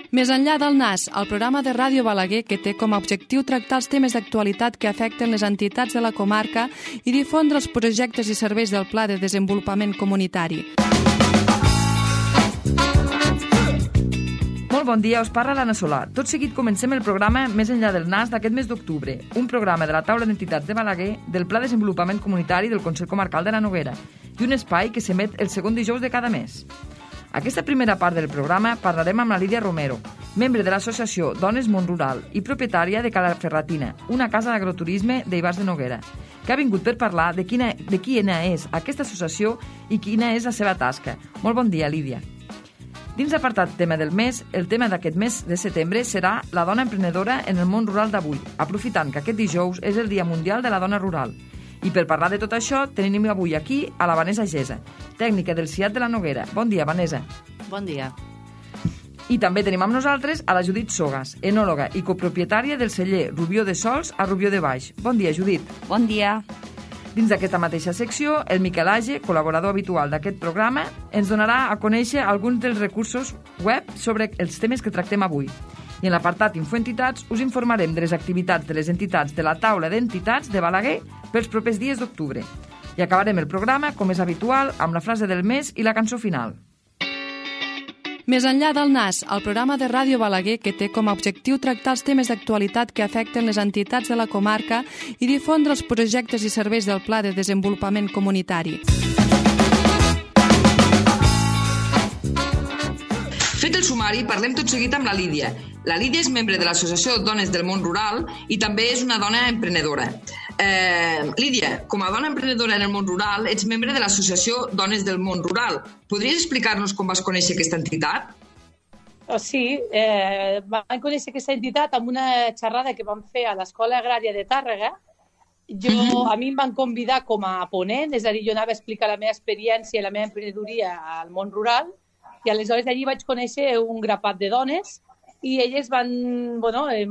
Més enllà del NAS, el programa de Ràdio Balaguer que té com a objectiu tractar els temes d'actualitat que afecten les entitats de la comarca i difondre els projectes i serveis del Pla de Desenvolupament Comunitari. Molt bon dia, us parla l'Anna Solà. Tot seguit comencem el programa Més enllà del NAS d'aquest mes d'octubre, un programa de la taula d'entitats de Balaguer, del Pla de Desenvolupament Comunitari del Consell Comarcal de la Noguera i un espai que s'emet el segon dijous de cada mes. Aquesta primera part del programa parlarem amb la Lídia Romero, membre de l'associació Dones Món Rural i propietària de Cala Ferratina, una casa d'agroturisme d'Ivars de Noguera, que ha vingut per parlar de quina és aquesta associació i quina és la seva tasca. Molt bon dia, Lídia. Dins l'apartat tema del mes, el tema d'aquest mes de setembre serà la dona emprenedora en el món rural d'avui, aprofitant que aquest dijous és el Dia Mundial de la Dona Rural. I per parlar de tot això, tenim avui aquí a la Vanessa Gesa, tècnica del CIAT de la Noguera. Bon dia, Vanessa. Bon dia. I també tenim amb nosaltres a la Judit Sogas, enòloga i copropietària del celler Rubió de Sols a Rubió de Baix. Bon dia, Judit. Bon dia. Dins d'aquesta mateixa secció, el Miquel Age, col·laborador habitual d'aquest programa, ens donarà a conèixer alguns dels recursos web sobre els temes que tractem avui. I en l'apartat Infoentitats us informarem de les activitats de les entitats de la taula d'entitats de Balaguer pels propers dies d'octubre. I acabarem el programa, com és habitual, amb la frase del mes i la cançó final. Més enllà del NAS, el programa de Ràdio Balaguer que té com a objectiu tractar els temes d'actualitat que afecten les entitats de la comarca i difondre els projectes i serveis del Pla de Desenvolupament Comunitari. Fet el sumari, parlem tot seguit amb la Lídia. La Lídia és membre de l'Associació Dones del Món Rural i també és una dona emprenedora. Lídia, com a dona emprenedora en el món rural, ets membre de l'Associació Dones del Món Rural. Podries explicar-nos com vas conèixer aquesta entitat? Sí, vam conèixer aquesta entitat amb una xerrada que vam fer a l'Escola Agrària de Tàrrega. A mi em van convidar com a ponent, és a dir, jo anava a explicar la meva experiència i la meva emprenedoria al món rural, i aleshores allí vaig conèixer un grapat de dones i elles em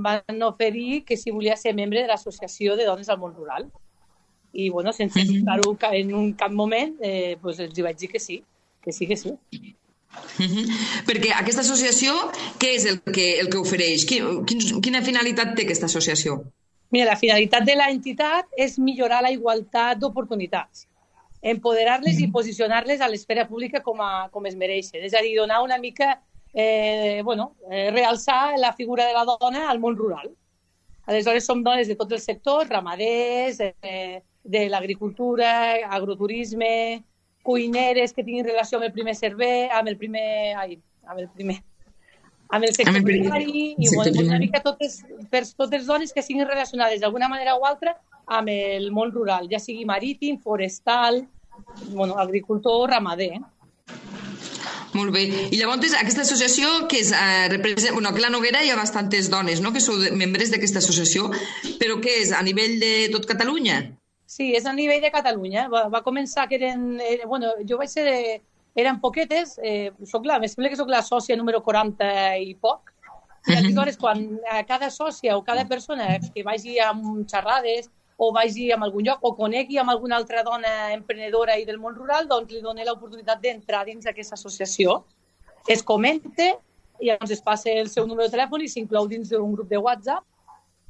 van oferir que si volia ser membre de l'Associació de Dones al Món Rural. I, sense dubtar-ho en cap moment, els vaig dir que sí. Perquè aquesta associació, què és el que ofereix? Quina finalitat té aquesta associació? Mira, la finalitat de l'entitat és millorar la igualtat d'oportunitats, empoderar-les i posicionar-les a l'esfera pública com es mereixen. És a dir, donar una mica, realçar la figura de la dona al món rural. Aleshores, som dones de tots els sectors, ramaders, de l'agricultura, agroturisme, cuineres que tinguin relació amb el primer servei, amb el sector primari, i una mica totes dones que siguin relacionades d'alguna manera o altra amb el món rural, ja sigui marítim, forestal, agricultor, ramader. Molt bé. I llavors aquesta associació que és, representa, que a la Noguera hi ha bastantes dones, no?, que sou membres d'aquesta associació, però què és, a nivell de tot Catalunya? Sí, és a nivell de Catalunya. Va començar que jo vaig ser eren poquetes, em sembla que soc la sòcia número 40 i poc, i aleshores quan cada sòcia o cada persona que vagi amb xerrades o vagi a algun lloc o conegui amb alguna altra dona emprenedora i del món rural, doncs li doni l'oportunitat d'entrar dins d'aquesta associació. Es comenta i llavors es passa el seu número de telèfon i s'inclou dins d'un grup de WhatsApp,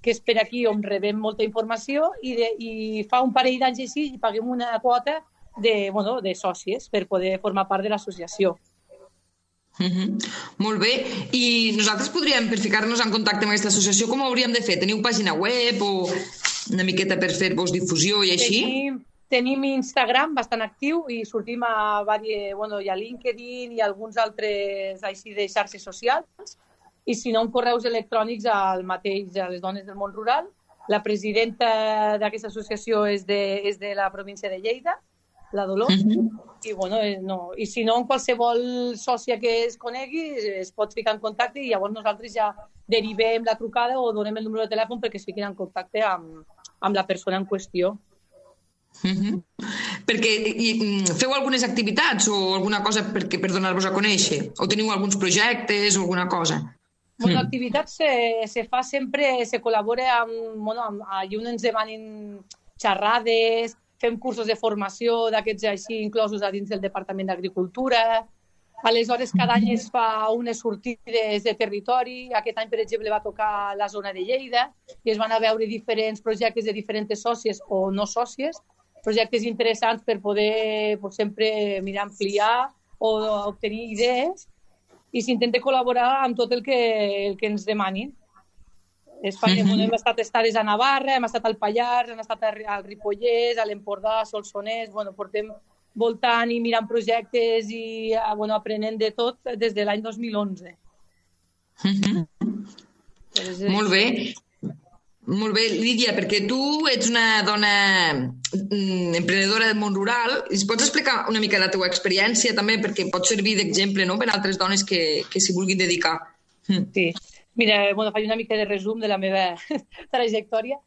que és per aquí on rebem molta informació i fa un parell d'anys així i paguem una quota de sòcies per poder formar part de l'associació. Molt bé. I nosaltres podríem, per ficar-nos en contacte amb aquesta associació, com ho hauríem de fer? Teniu pàgina web o una miqueta per fer-vos difusió i així? Tenim Instagram bastant actiu i sortim a LinkedIn i alguns altres així de xarxes socials, i si no, en correus electrònics al mateix a les dones del món rural. La presidenta d'aquesta associació és de la província de Lleida, la Dolors, i si no, en qualsevol sòcia que es conegui es pot ficar en contacte i llavors nosaltres ja derivem la trucada o donem el número de telèfon perquè es fiquin en contacte amb la persona en qüestió. Perquè feu algunes activitats o alguna cosa per donar-vos a conèixer? O teniu alguns projectes o alguna cosa? L'activitat se fa sempre, se col·labora allà on ens demanin xerrades, fem cursos de formació d'aquests així inclosos a dins del Departament d'Agricultura, Aleshores, cada any es fa unes sortides de territori. Aquest any, per exemple, va tocar la zona de Lleida i es van a veure diferents projectes de diferents sòcies o no sòcies, projectes interessants per poder sempre mirar ampliar o obtenir idees i s'intenta col·laborar amb tot el que ens demanin. Hem estat estades a Navarra, hem estat al Pallars, hem estat al Ripollès, a l'Empordà, a Solsonès. Portem voltant i mirant projectes i aprenent de tot des de l'any 2011. Molt bé. Molt bé, Lídia, perquè tu ets una dona emprenedora del món rural. Ens pots explicar una mica la teva experiència també, perquè pot servir d'exemple, no?, per a altres dones que s'hi vulguin dedicar. Sí. Mira, faig una mica de resum de la meva trajectòria.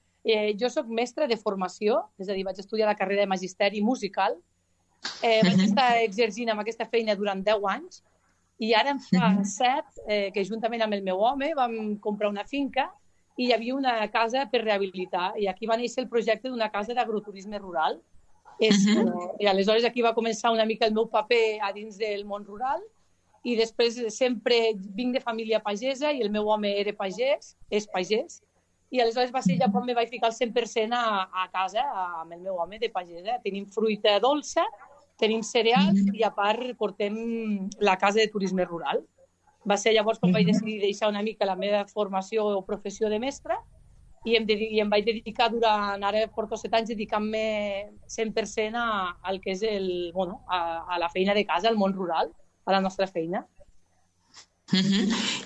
Jo soc mestra de formació, és a dir, vaig estudiar la carrera de magisteri musical. Vaig estar exercint amb aquesta feina durant 10 anys i ara em fa 7 que juntament amb el meu home vam comprar una finca i hi havia una casa per rehabilitar i aquí va néixer el projecte d'una casa d'agroturisme rural. I aleshores aquí va començar una mica el meu paper a dins del món rural i després sempre vinc de família pagesa i el meu home era pagès, és pagès, i aleshores va ser ja quan me vaig ficar al 100% a casa amb el meu home de pagesa. Tenim fruita dolça, tenim cereals i a part portem la casa de turisme rural. Va ser llavors quan vaig decidir deixar una mica la meva formació o professió de mestra i em vaig dedicar ara porto 7 anys dedicant-me 100% al que és a la feina de casa, al món rural, a la nostra feina.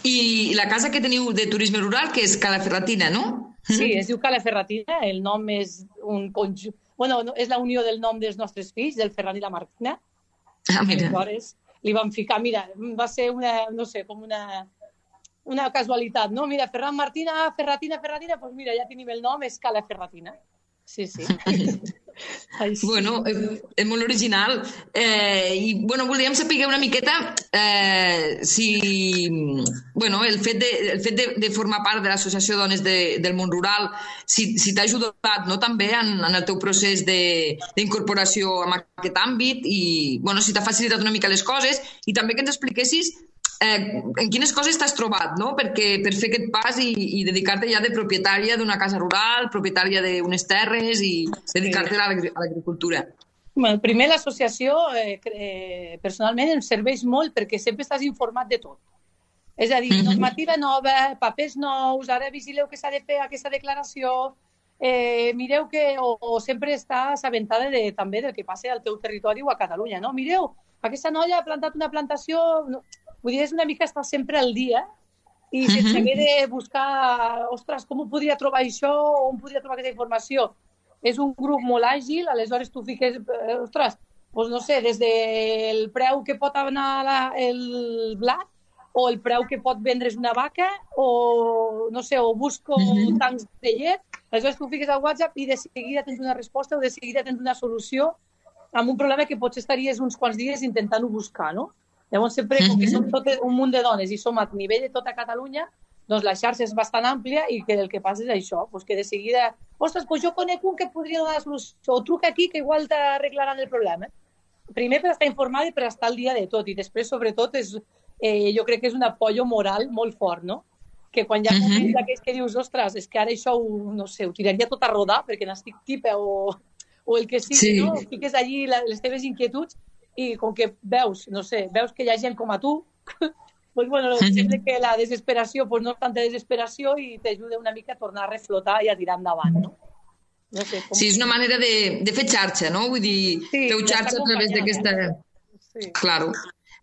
I la casa que teniu de turisme rural, que és Cala Ferratina, no? Sí, es diu Cala Ferratina, el nom és un conjunt... és la unió del nom dels nostres fills, del Ferran i la Martina. Aleshores, li vam ficar, mira, va ser una casualitat, no? Mira, Ferran, Martina, Ferratina, doncs mira, ja tenim el nom, és Cala Ferratina. Sí. Bueno, és molt original. I, volíem saber una miqueta si, el fet de formar part de l'Associació Dones del Món Rural, si t'ha ajudat, no?, també en el teu procés d'incorporació en aquest àmbit i, si t'ha facilitat una mica les coses i també que ens expliquessis en quines coses t'has trobat, no?, per fer aquest pas i dedicar-te ja de propietària d'una casa rural, propietària d'unes terres i dedicar-te a l'agricultura. Primer, l'associació personalment em serveix molt perquè sempre estàs informat de tot. És a dir, normativa nova, papers nous, ara vigileu que s'ha de fer aquesta declaració, mireu que... O sempre estàs assabentada també del que passa al teu territori o a Catalunya, no? Mireu, aquesta noia ha plantat una plantació... Vull dir, és una mica estar sempre al dia i sense haver de buscar, ostres, com ho podria trobar això o on podria trobar aquesta informació. És un grup molt àgil, aleshores tu fiques, ostres, doncs no sé, des del preu que pot anar el blat o el preu que pot vendre's una vaca o, no sé, o busco tancs de llet, aleshores tu fiques al WhatsApp i de seguida tens una resposta o de seguida tens una solució amb un problema que potser estaries uns quants dies intentant-ho buscar, no? Llavors, sempre, com que som tot un munt de dones i som a nivell de tota Catalunya, doncs la xarxa és bastant àmplia i que el que passa és això, que de seguida, ostres, doncs jo conec un que et podria donar la solució, o truca aquí que igual t'arreglaran el problema. Primer per estar informada i per estar al dia de tot, i després, sobretot, jo crec que és un apoyo moral molt fort, no? Que quan hi ha moments d'aquells que dius, ostres, és que ara això, no sé, ho tiraria tot a rodar perquè n'estic tipa o el que sigui, no? Fiques allí les teves inquietuds i com que veus, no sé, veus que hi ha gent com a tu, doncs, sembla que la desesperació no és tanta desesperació i t'ajuda una mica a tornar a reflotar i a tirar endavant, no? Sí, és una manera de fer xarxa, no? Vull dir, feu xarxa a través d'aquesta... Sí. Claro,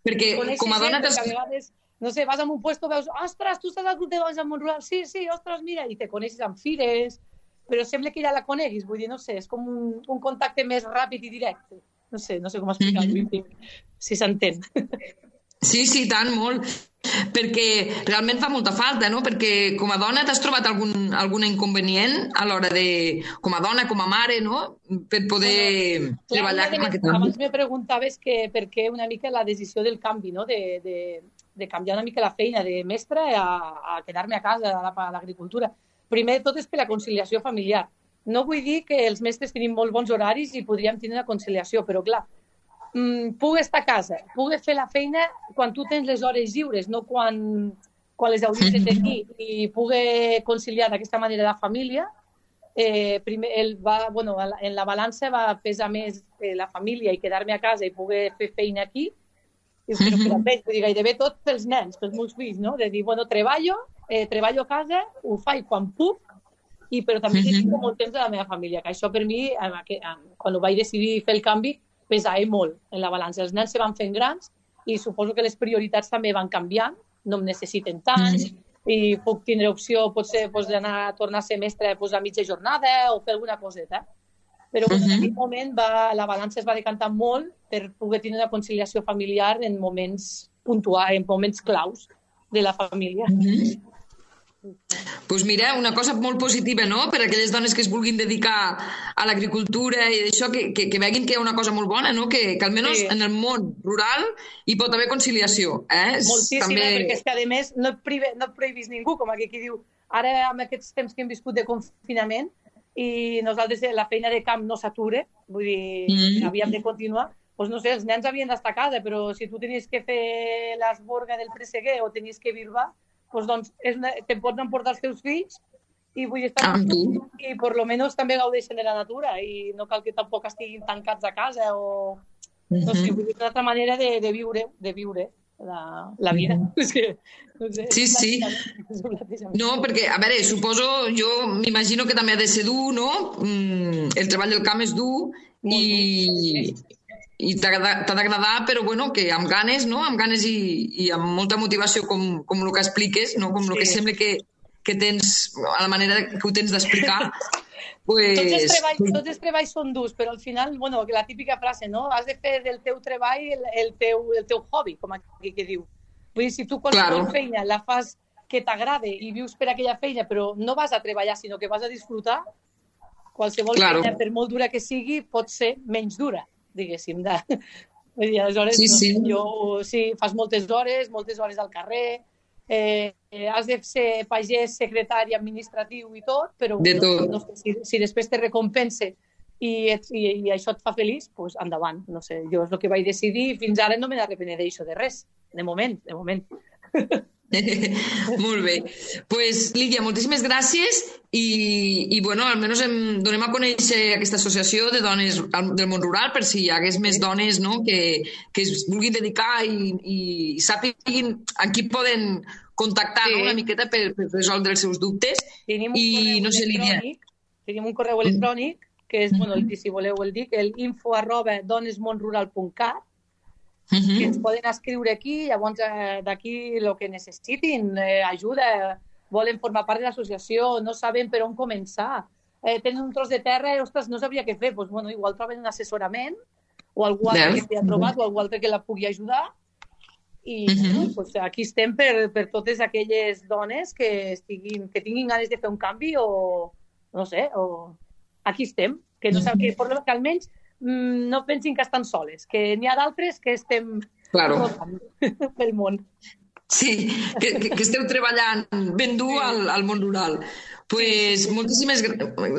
perquè com a dona... A vegades, no sé, vas a un puesto, veus, ostres, tu estàs al grup de dones del món rural, sí, ostres, mira, i te coneixes amb fires, però sembla que ja la coneguis, vull dir, no sé, és com un contacte més ràpid i directe. No sé com explicar-ho, si s'entén. Sí, tant, molt. Perquè realment fa molta falta, no? Perquè com a dona t'has trobat algun inconvenient a l'hora de... Com a dona, com a mare, no? Per poder treballar amb aquest àmbit. Abans me preguntaves per què una mica la decisió del canvi, no? De canviar una mica la feina de mestra a quedar-me a casa, a l'agricultura. Primer de tot és per la conciliació familiar. No vull dir que els mestres tenim molt bons horaris i podríem tenir una conciliació, però clar, pugui estar a casa, pugui fer la feina quan tu tens les hores lliures, no quan les hauries de tenir, i pugui conciliar d'aquesta manera la família. Primer, en la balança va pesar més la família i quedar-me a casa i poder fer feina aquí, però per a ells, gairebé tot pels nens, pels meus fills, no? De dir, treballo a casa, ho faig quan puc, però també dedico molt temps a la meva família, que això per mi, quan ho vaig decidir fer el canvi, pesava molt en la balança. Els nens se van fent grans i suposo que les prioritats també van canviant, no em necessiten tant, i puc tindre opció, potser, d'anar a tornar a ser mestre a mitja jornada o fer alguna coseta. Però en aquell moment la balança es va decantar molt per poder tenir una conciliació familiar en moments puntuals, en moments claus de la família. Doncs mira, una cosa molt positiva, no?, per a aquelles dones que es vulguin dedicar a l'agricultura i d'això, que veguin que hi ha una cosa molt bona, no?, que almenys en el món rural hi pot haver conciliació. Moltíssima, perquè és que a més no et prohibís ningú, com aquí qui diu, ara amb aquests temps que hem viscut de confinament i nosaltres la feina de camp no s'ature, vull dir, havíem de continuar, doncs no sé, els nens havien d'estar a casa, però si tu tenies que fer l'esborga del presseguer o tenies que birbar, doncs te pots emportar els teus fills i vull estar amb tu i per lo menos també gaudeixen de la natura i no cal que tampoc estiguin tancats a casa o no sé, vull dir, una altra manera de viure la vida. Sí. No, perquè, a veure, suposo, jo m'imagino que també ha de ser dur, no? El treball del camp és dur i t'ha d'agradar, però bueno, que amb ganes, no? Amb ganes i amb molta motivació, com el que expliques, no? Com el que sembla que tens, a la manera que ho tens d'explicar. Tots els treballs són durs, però al final, bueno, la típica frase, no? Has de fer del teu treball el teu hobby, com aquí que diu. Vull dir, si tu qualsevol feina la fas que t'agrade i vius per aquella feina, però no vas a treballar, sinó que vas a disfrutar, qualsevol feina, per molt dura que sigui, pot ser menys dura, diguéssim. Vull dir, aleshores, fas moltes hores al carrer, has de ser pagès, secretari, administratiu i tot, però si després te recompense i això et fa feliç, doncs endavant. No sé, jo és el que vaig decidir i fins ara no me n'arrepenedeixo de res, de moment. Molt bé. Pues, Lídia, moltíssimes gràcies i bueno, almenys donem a conèixer aquesta associació de dones del món rural per si hi hagués més dones, no?, que es vulguin dedicar i sàpiguin a qui poden contactar una miqueta per resoldre els seus dubtes. Tenim un correu electrònic que és, bueno, si voleu el dic, el info@donesmonrural.cat, que ens poden escriure aquí, llavors d'aquí el que necessitin, ajuda, volen formar part de l'associació, no saben per on començar, tenen un tros de terra i, ostres, no sabria què fer, doncs, bueno, igual troben un assessorament o algú altre que t'hi ha trobat o algú altre que la pugui ajudar i doncs, aquí estem per totes aquelles dones que tinguin ganes de fer un canvi o, no sé, aquí estem, que almenys no pensin que estan soles, que n'hi ha d'altres que estem pel món. Sí, que esteu treballant ben dur al món rural. Pues,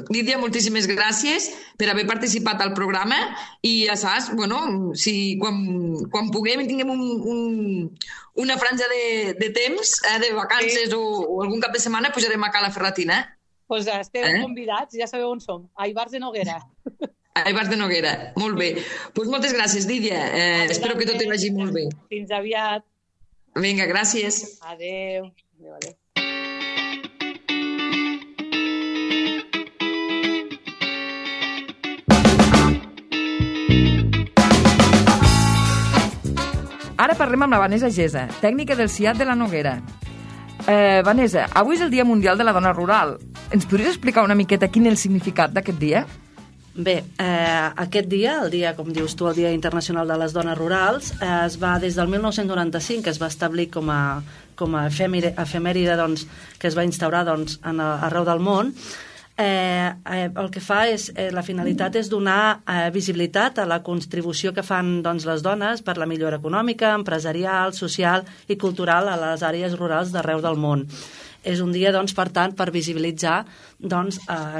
Lídia, moltíssimes gràcies per haver participat al programa i ja saps, bueno, si quan puguem i tinguem una franja de temps, de vacances o algun cap de setmana, pujarem a Cala Ferratina. Doncs esteu convidats, ja sabeu on som, a Ivars de Noguera. A Ivars de Noguera, molt bé. Doncs moltes gràcies, Lídia. Espero que tot hi vagi molt bé. Fins aviat. Vinga, gràcies. Adéu. Ara parlem amb la Vanessa Gesa, tècnica del CIAT de la Noguera. Vanessa, avui és el Dia Mundial de la Dona Rural. Ens podries explicar una miqueta quin és el significat d'aquest dia? Bé, aquest dia, el dia, com dius tu, el Dia Internacional de les Dones Rurals, es va des del 1995, que es va establir com a efemèride, doncs, que es va instaurar arreu del món. El que fa és, la finalitat és donar visibilitat a la contribució que fan les dones per la millora econòmica, empresarial, social i cultural a les àrees rurals d'arreu del món. és un dia, doncs, per tant, per visibilitzar doncs,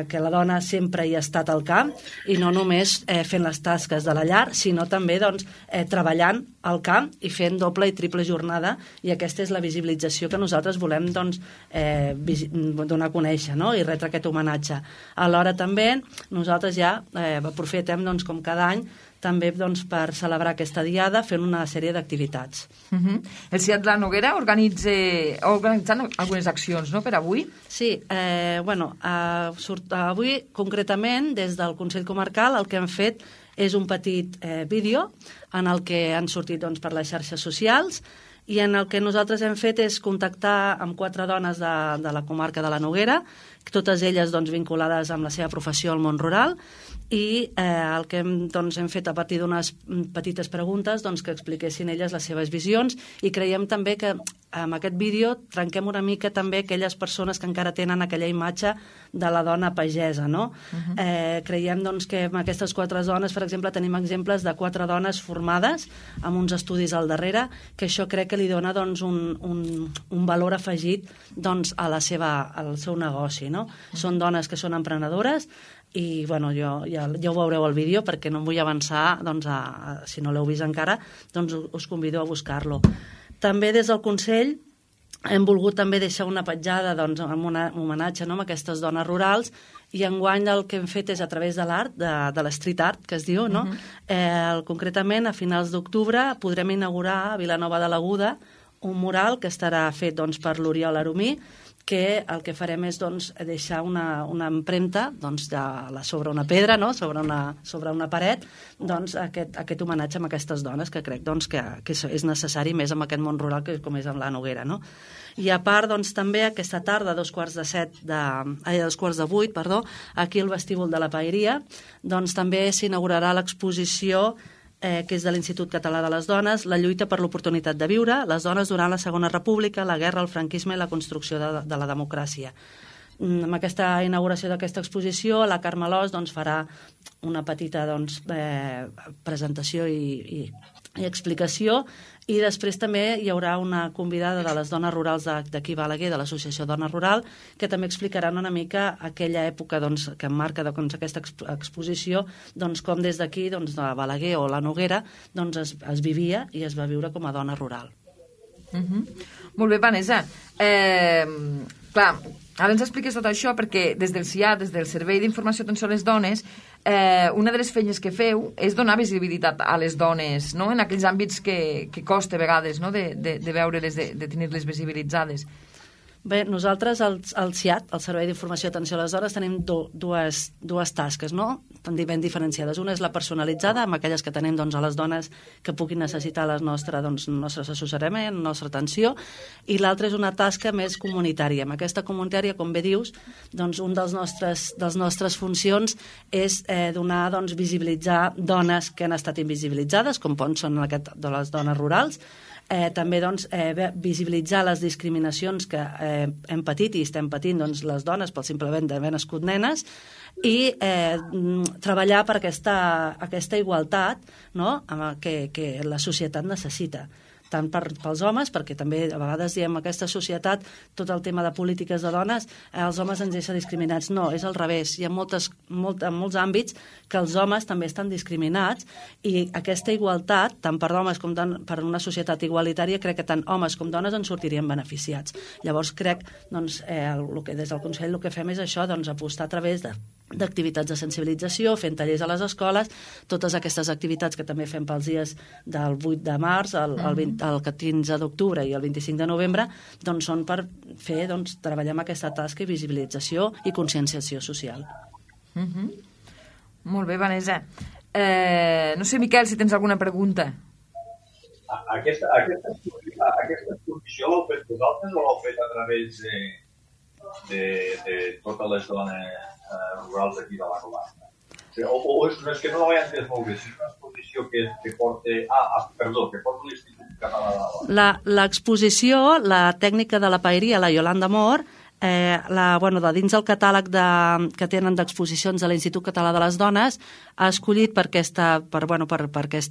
que la dona sempre hi ha estat al camp i no només fent les tasques de la llar, sinó també doncs, treballant al camp i fent doble i triple jornada, i aquesta és la visibilització que nosaltres volem doncs, donar a conèixer, no? I retre aquest homenatge. Alhora també nosaltres ja aprofitem doncs, com cada any també doncs, per celebrar aquesta diada fent una sèrie d'activitats. El CIAT de la Noguera organitzant algunes accions, no?, per avui? Sí, avui concretament des del Consell Comarcal el que hem fet és un petit vídeo en el que han sortit doncs, per les xarxes socials i en el que nosaltres hem fet és contactar amb 4 dones de la comarca de la Noguera, totes elles doncs, vinculades amb la seva professió al món rural, i el que hem fet a partir d'unes petites preguntes doncs, que expliquessin elles les seves visions, i creiem també que amb aquest vídeo trenquem una mica també aquelles persones que encara tenen aquella imatge de la dona pagesa, no? Creiem doncs, que amb aquestes 4 dones, per exemple, tenim exemples de 4 dones formades amb uns estudis al darrere, que això crec que li dona doncs, un valor afegit doncs, al seu negoci, no? Són dones que són emprenedores i bueno, ja ho veureu al vídeo perquè no em vull avançar, doncs, si no l'heu vist encara, doncs us convido a buscar-lo. També des del Consell hem volgut també deixar una petjada doncs, amb un homenatge, no?, a aquestes dones rurals, i enguany el que hem fet és a través de l'art, de l'street art, que es diu, no? Concretament, a finals d'octubre podrem inaugurar a Vilanova de l'Aguda un mural que estarà fet doncs, per l'Oriol Aromí, que el que farem és doncs, deixar una empremta doncs, sobre una pedra, no? sobre una paret, doncs, aquest homenatge a aquestes dones, que crec doncs, que és necessari més en aquest món rural com és amb la Noguera. No? I a part, doncs, també aquesta tarda, a 7:15, aquí al vestíbul de la Paeria, doncs, també s'inaugurarà l'exposició que és de l'Institut Català de les Dones, la lluita per l'oportunitat de viure, les dones durant la Segona República, la guerra, el franquisme i la construcció de la democràcia. Amb aquesta inauguració d'aquesta exposició, la Carme Alòs doncs, farà una petita doncs, presentació i explicació, i després també hi haurà una convidada de les dones rurals d'aquí Balaguer, de l'Associació Dona Rural, que també explicaran una mica aquella època doncs, que emmarca doncs, aquesta exposició, doncs, com des d'aquí, doncs, de Balaguer o la Noguera, doncs, es vivia i es va viure com a dona rural. Molt bé, Vanessa. Clar, ara ens expliques tot això perquè des del CIAT, des del Servei d'Informació i Atenció a les Dones, una de les feines que feu és donar visibilitat a les dones, no?, en aquells àmbits que costa a vegades, no?, de veure-les, de tenir-les visibilitzades. Bé, nosaltres al CIAT, al Servei d'Informació i Atenció a les Dones, tenim dues tasques, no?, ben diferenciades. Una és la personalitzada, amb aquelles que tenim doncs, a les dones que puguin necessitar el nostre assessorament, la nostra atenció, i l'altra és una tasca més comunitària. Amb aquesta comunitària, com bé dius, doncs, un dels nostres funcions és donar, doncs, visibilitzar dones que han estat invisibilitzades, com són de les dones rurals, també doncs, visibilitzar les discriminacions que hem patit i estem patint doncs, les dones pel simplement d'haver nascut nenes, i treballar per aquesta igualtat, no?, que la societat necessita, tant pels homes, perquè també a vegades diem aquesta societat, tot el tema de polítiques de dones, els homes ens deixa discriminats. No, és al revés. Hi ha en molts àmbits que els homes també estan discriminats, i aquesta igualtat, tant per homes com per una societat igualitària, crec que tant homes com dones en sortirien beneficiats. Llavors crec doncs, que des del Consell el que fem és això, doncs, apostar a través d'activitats de sensibilització, fent tallers a les escoles, totes aquestes activitats que també fem pels dies del 8 de març, el 15 d'octubre i el 25 de novembre, doncs són per fer, doncs, treballar amb aquesta tasca i visibilització i conscienciació social. Molt bé, Vanessa. No sé, Miquel, si tens alguna pregunta. Aquesta exposició l'heu fet vosaltres o l'heu fet a través de totes les dones rurals d'aquí de la comarca? O és que no l'he entès molt bé, si és una exposició que porta l'Institut Català de la Dona. L'exposició, la tècnica de la paeria, la Yolanda Mor, Dins el catàleg que tenen d'exposicions de l'Institut Català de les Dones, ha escollit per aquesta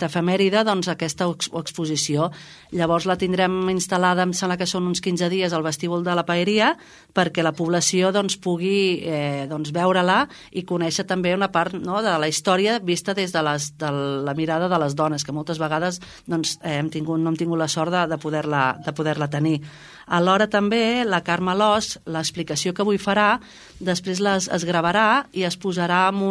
efemèride aquesta exposició. Llavors la tindrem instal·lada, em sembla que són uns 15 dies, al vestíbul de la Paeria, perquè la població pugui veure-la i conèixer també una part de la història vista des de la mirada de les dones, que moltes vegades no hem tingut la sort de poder-la tenir. Alhora també la Carme Alòs, l'explicació que avui farà, després es gravarà i es posarà amb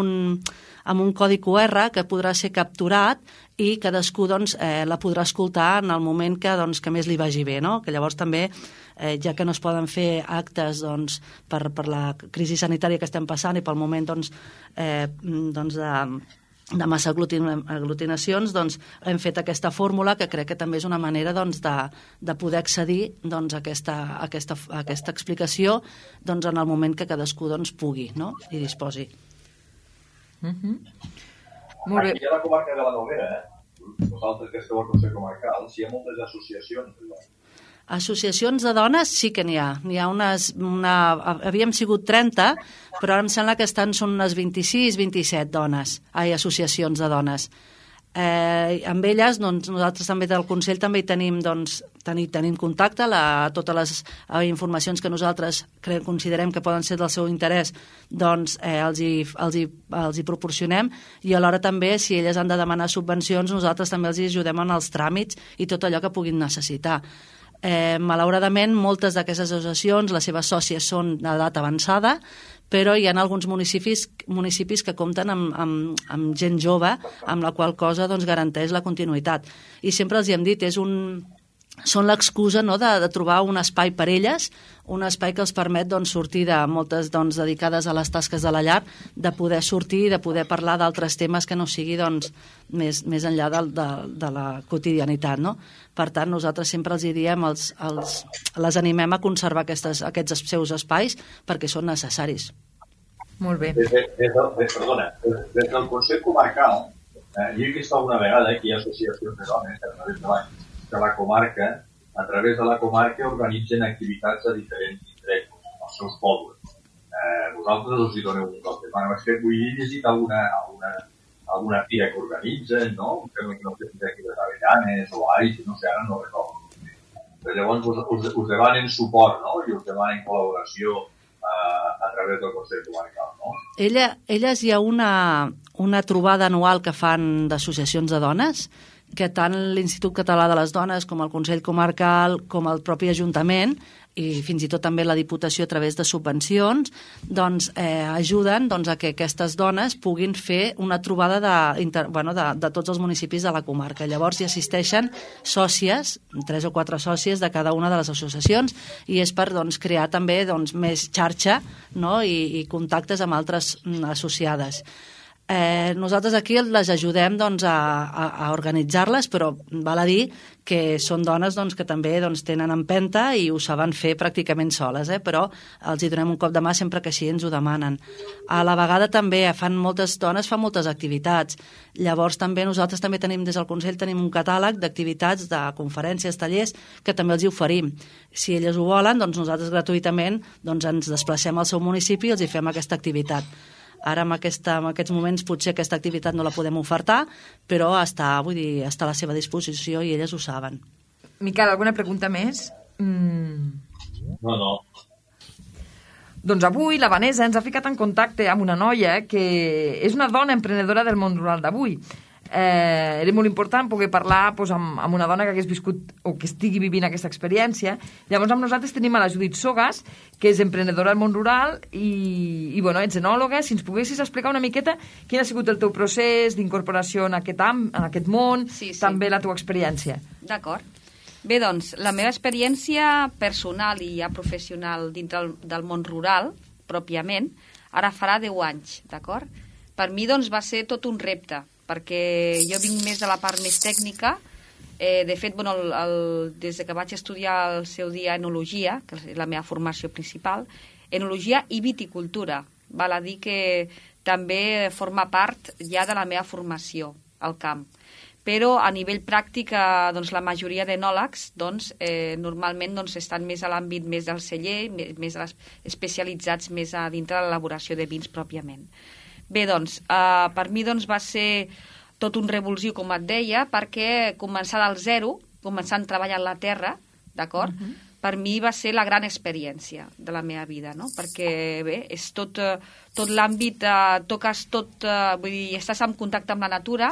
un codi QR que podrà ser capturat i cadascú la podrà escoltar en el moment que més li vagi bé, no? Que llavors també, ja que no es poden fer actes per la crisi sanitària que estem passant i pel moment de massa aglutinacions, hem fet aquesta fórmula que crec que també és una manera de poder accedir a aquesta explicació en el moment que cadascú pugui, no? I disposi. Molt bé. Aquí a la comarca de la Noguera, vosaltres que esteu al Consell Comarcal, hi ha moltes associacions de dones. Associacions de dones sí que n'hi ha. Havíem sigut 30, però ara em sembla que són unes 26, 27 associacions de dones. Amb elles, nosaltres també del Consell també tenim contacte, totes les informacions que nosaltres considerem que poden ser del seu interès, els hi proporcionem, i alhora també, si elles han de demanar subvencions, nosaltres també els ajudem en els tràmits i tot allò que puguin necessitar. Malauradament, moltes d'aquestes associacions, les seves sòcies són d'edat avançada, però hi ha alguns municipis que compten amb gent jove, amb la qual cosa garanteix la continuïtat. I sempre els hi hem dit, són l'excusa de trobar un espai per elles, un espai que els permet sortir de moltes dedicades a les tasques de la llar, de poder sortir i de poder parlar d'altres temes que no sigui més enllà de la quotidianitat, no? Per tant, nosaltres sempre els diem, les animem a conservar aquests seus espais perquè són necessaris. Molt bé. Des del Consell Comarcal, jo he vist alguna vegada que hi ha associacions de dones a través de la comarca, a través de la comarca organitzen activitats a diferents indrets, als seus pobles. Vosaltres us hi doneu un cop de mano. És que vull llegir alguna fira que organitzen, no? No sé si aquí les Avellanes o Aix, no sé, ara no recordo. Però llavors us demanen suport, no? I us demanen col·laboració a través del Consell Comarcal, no? Elles hi ha una trobada anual que fan d'associacions de dones, que tant l'Institut Català de les Dones com el Consell Comarcal com el propi Ajuntament i fins i tot també la Diputació a través de subvencions ajuden a que aquestes dones puguin fer una trobada de tots els municipis de la comarca. Llavors hi assisteixen sòcies, 3 o 4 sòcies de cada una de les associacions, i és per crear també més xarxa, no? I contactes amb altres associades. Nosaltres aquí les ajudem a organitzar-les, però val a dir que són dones que també tenen empenta i ho saben fer pràcticament soles, però els hi donem un cop de mà sempre que així ens ho demanen. A la vegada també moltes dones fan moltes activitats. Llavors també nosaltres també tenim des del Consell un catàleg d'activitats, de conferències, tallers, que també els hi oferim. Si elles ho volen, nosaltres gratuïtament ens desplacem al seu municipi i els hi fem aquesta activitat. Ara, en aquests moments, potser aquesta activitat no la podem ofertar, però està a la seva disposició i elles ho saben. Miquel, alguna pregunta més? No. Doncs avui la Vanessa ens ha ficat en contacte amb una noia que és una dona emprenedora del món rural d'avui. Era molt important poder parlar amb una dona que hagués viscut o que estigui vivint aquesta experiència. Llavors amb nosaltres tenim a la Judit Sogas, que és emprenedora del món rural i ets enòloga. Si ens poguessis explicar una miqueta quin ha sigut el teu procés d'incorporació en aquest món, també la teva experiència. D'acord. Bé, doncs, la meva experiència personal i ja professional dintre del món rural, pròpiament, ara farà 10 anys, d'acord? Per mi, doncs, va ser tot un repte, perquè jo vinc més de la part més tècnica. De fet, des que vaig estudiar el seu dia enologia, que és la meva formació principal, enologia i viticultura. Val a dir que també forma part ja de la meva formació al camp. però a nivell pràctic doncs, la majoria d'enòlegs normalment estan més a l'àmbit més del celler, més especialitzats més a dintre de l'elaboració de vins pròpiament. Bé, doncs, per mi va ser tot un revulsiu, com et deia, perquè començar del zero, començant a treballar en la terra, d'acord? Per mi va ser la gran experiència de la meva vida, no? Perquè, bé, és tot l'àmbit, toques tot, vull dir, estàs en contacte amb la natura,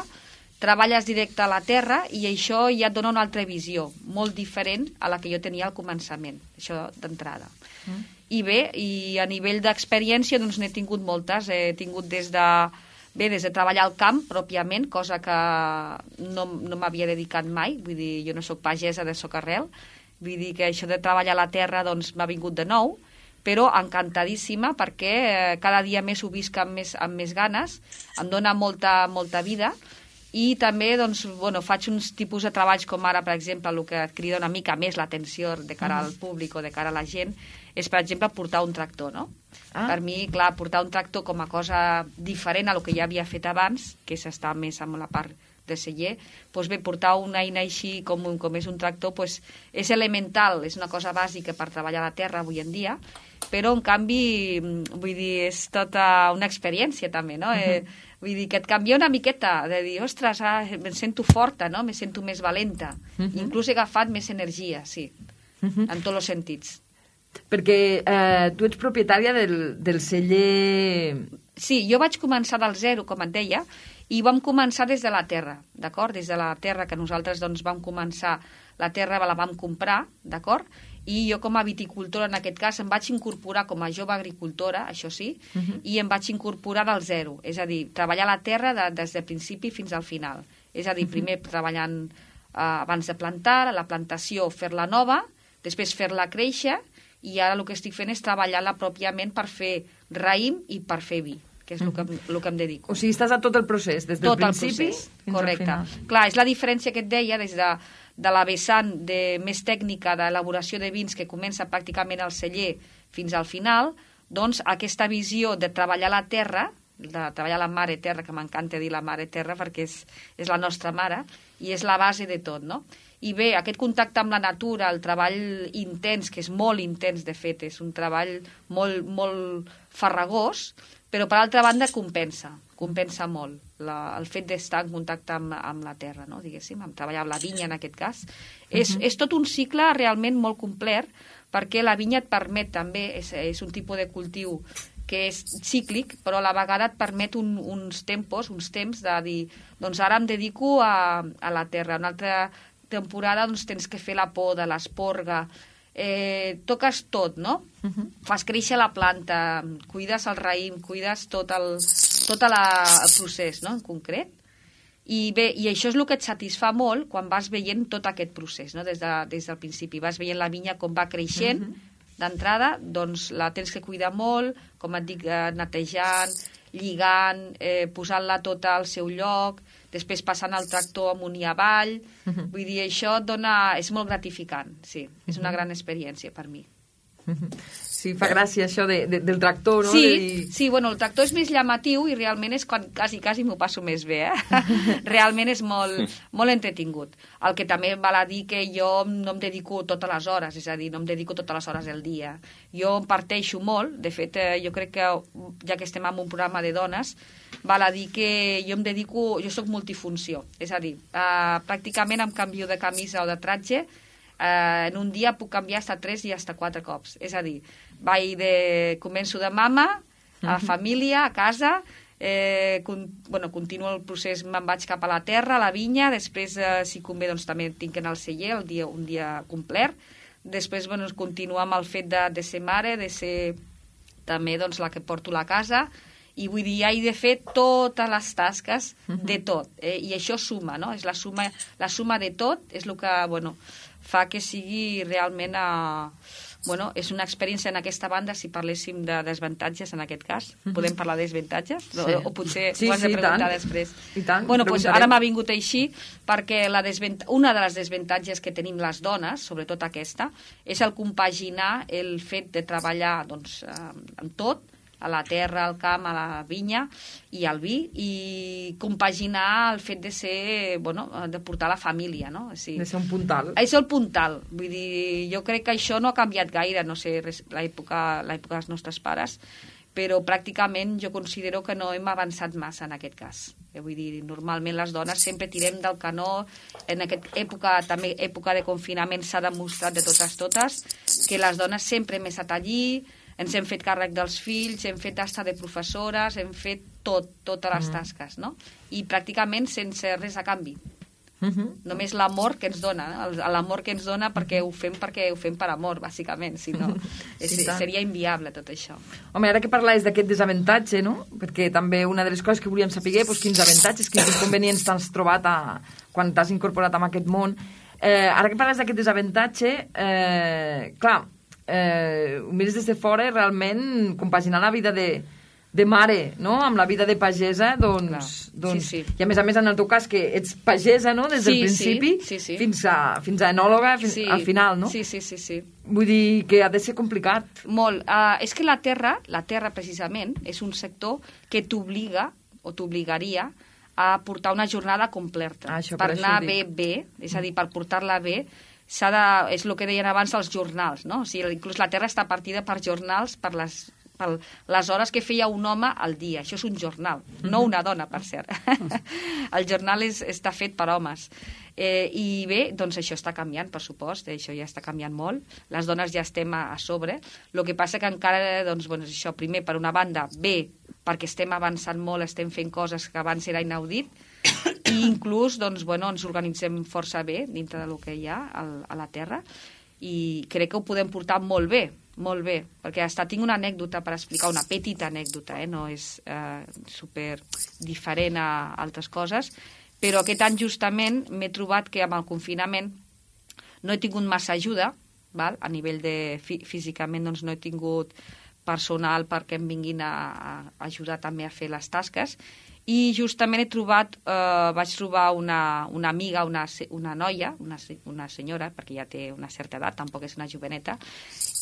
treballes directe a la terra i això ja et dona una altra visió, molt diferent a la que jo tenia al començament, això d'entrada. I bé, i a nivell d'experiència n'he tingut moltes, he tingut des de treballar al camp pròpiament, cosa que no m'havia dedicat mai, vull dir, jo no soc pagesa de socarrel, vull dir que això de treballar a la terra m'ha vingut de nou, però encantadíssima perquè cada dia més ho visc amb més ganes, em dona molta vida. I també faig uns tipus de treballs com ara, per exemple, el que et crida una mica més l'atenció de cara al públic o de cara a la gent és, per exemple, portar un tractor, no? Per mi, clar, portar un tractor com a cosa diferent a el que ja havia fet abans, que és estar més amb la part de celler, doncs bé, portar una eina així com és un tractor és elemental, és una cosa bàsica per treballar a la terra avui en dia, però en canvi, vull dir, és tota una experiència també, no? Vull dir, que et canvia una miqueta, de dir, ostres, em sento forta, no? Me sento més valenta. Inclús he agafat més energia, sí, en tots els sentits. Perquè tu ets propietària del celler... Sí, jo vaig començar del zero, com et deia, i vam començar des de la terra, d'acord? Des de la terra que nosaltres vam començar, la terra la vam comprar, d'acord? I jo com a viticultora, en aquest cas, em vaig incorporar com a jove agricultora, això sí, i em vaig incorporar del zero, és a dir, treballar la terra des del principi fins al final. És a dir, primer treballant abans de plantar, la plantació fer-la nova, després fer-la créixer, i ara el que estic fent és treballar-la pròpiament per fer raïm i per fer vi, que és el que em dedico. O sigui, estàs a tot el procés, des del principi fins al final. Clar, és la diferència que et deia des de la vessant més tècnica d'elaboració de vins que comença pràcticament al celler fins al final, doncs aquesta visió de treballar la terra, de treballar la mare terra, que m'encanta dir la mare terra perquè és la nostra mare, i és la base de tot, no? I bé, aquest contacte amb la natura, el treball intens, que és molt intens, de fet, és un treball molt, molt farragós, però per altra banda compensa molt el fet d'estar en contacte amb la terra, no? Diguéssim, amb treballar amb la vinya en aquest cas. És tot un cicle realment molt complet, perquè la vinya et permet també, és un tipus de cultiu que és cíclic, però a la vegada et permet uns temps de dir, doncs ara em dedico a la terra, una altra temporada doncs tens que fer la poda, l'esporga, toques tot, no? Fas créixer la planta, cuides el raïm, cuides tot el procés, no?, en concret. I bé, i això és el que et satisfà molt quan vas veient tot aquest procés, no?, des del principi. Vas veient la vinya com va creixent d'entrada, doncs la tens que cuidar molt, com et dic, netejant, lligant, posant-la tota al seu lloc, després passant el tractor amunt i avall. Vull dir, això és molt gratificant, sí. És una gran experiència per mi. Sí, fa gràcia això del tractor, no? Sí, bueno, el tractor és més llamatiu i realment és quan quasi m'ho passo més bé, Realment és molt entretingut. El que també val a dir que jo no em dedico totes les hores, és a dir, no em dedico totes les hores del dia. Jo em parteixo molt, de fet, jo crec que, ja que estem en un programa de dones, val a dir que jo soc multifunció, és a dir, pràcticament em canvio de camisa o de tratge, en un dia puc canviar fins a 3 i fins a 4 cops. És a dir, començo de mama, a família, a casa, continuo el procés, me'n vaig cap a la terra, a la vinya, després, si convé, doncs també tinc que anar al celler un dia complet. Després, continuo amb el fet de ser mare, de ser també la que porto la casa, i vull dir, he de fer totes les tasques de tot, i això suma, no? És la suma de tot, és el que, fa que sigui realment, és una experiència en aquesta banda, si parléssim de desvantatges en aquest cas, podem parlar de desvantatges? O potser ho has de preguntar després. I tant, ara m'ha vingut així, perquè una de les desvantatges que tenim les dones, sobretot aquesta, és el compaginar el fet de treballar amb tot, a la terra, al camp, a la vinya i al vi, i compaginar el fet de ser, de portar la família, no? De ser un puntal. És el puntal. Vull dir, jo crec que això no ha canviat gaire, no sé, l'època dels nostres pares, però pràcticament jo considero que no hem avançat massa en aquest cas. Vull dir, normalment les dones sempre tirem del canó. En aquesta època, també època de confinament, s'ha demostrat de totes que les dones sempre hem estat allí, ens hem fet càrrec dels fills, hem fet tasca de professores, hem fet totes les tasques, no? I pràcticament sense res a canvi. Només l'amor que ens dona, l'amor que ens dona perquè ho fem per amor, bàsicament, si no seria inviable tot això. Home, ara que parlaves d'aquest desavantatge, no? Perquè també una de les coses que volíem saber, quins avantatges, quins inconvenients t'has trobat quan t'has incorporat en aquest món. Ara que parles d'aquest desavantatge, clar, ho mires des de fora, realment compaginar la vida de mare, no?, amb la vida de pagesa, doncs... Sí. I a més, en el teu cas, que ets pagesa, no?, des del principi fins a enòloga al final, no? Sí. Vull dir que ha de ser complicat. Molt. És que la terra, precisament, és un sector que t'obliga, o t'obligaria, a portar una jornada completa. Per anar bé, és a dir, per portar-la bé, és el que deien abans els jornals, no? O sigui, inclús la terra està partida per jornals, per les hores que feia un home al dia. Això és un jornal, no una dona, per cert. El jornal està fet per homes. I bé, doncs això està canviant, per supost, això ja està canviant molt. Les dones ja estem a sobre. El que passa que encara, doncs, això, primer, per una banda, bé, perquè estem avançant molt, estem fent coses que abans era inaudit, i inclús, doncs, ens organitzem força bé dintre del que hi ha a la Terra, i crec que ho podem portar molt bé, perquè tinc una anècdota per explicar, una petita anècdota, no és super diferent a altres coses, però aquest any justament m'he trobat que amb el confinament no he tingut massa ajuda, a nivell de físicament doncs no he tingut personal perquè em vinguin a ajudar també a fer les tasques, i justament vaig trobar una amiga, una noia, una senyora, perquè ja té una certa edat, tampoc és una joveneta,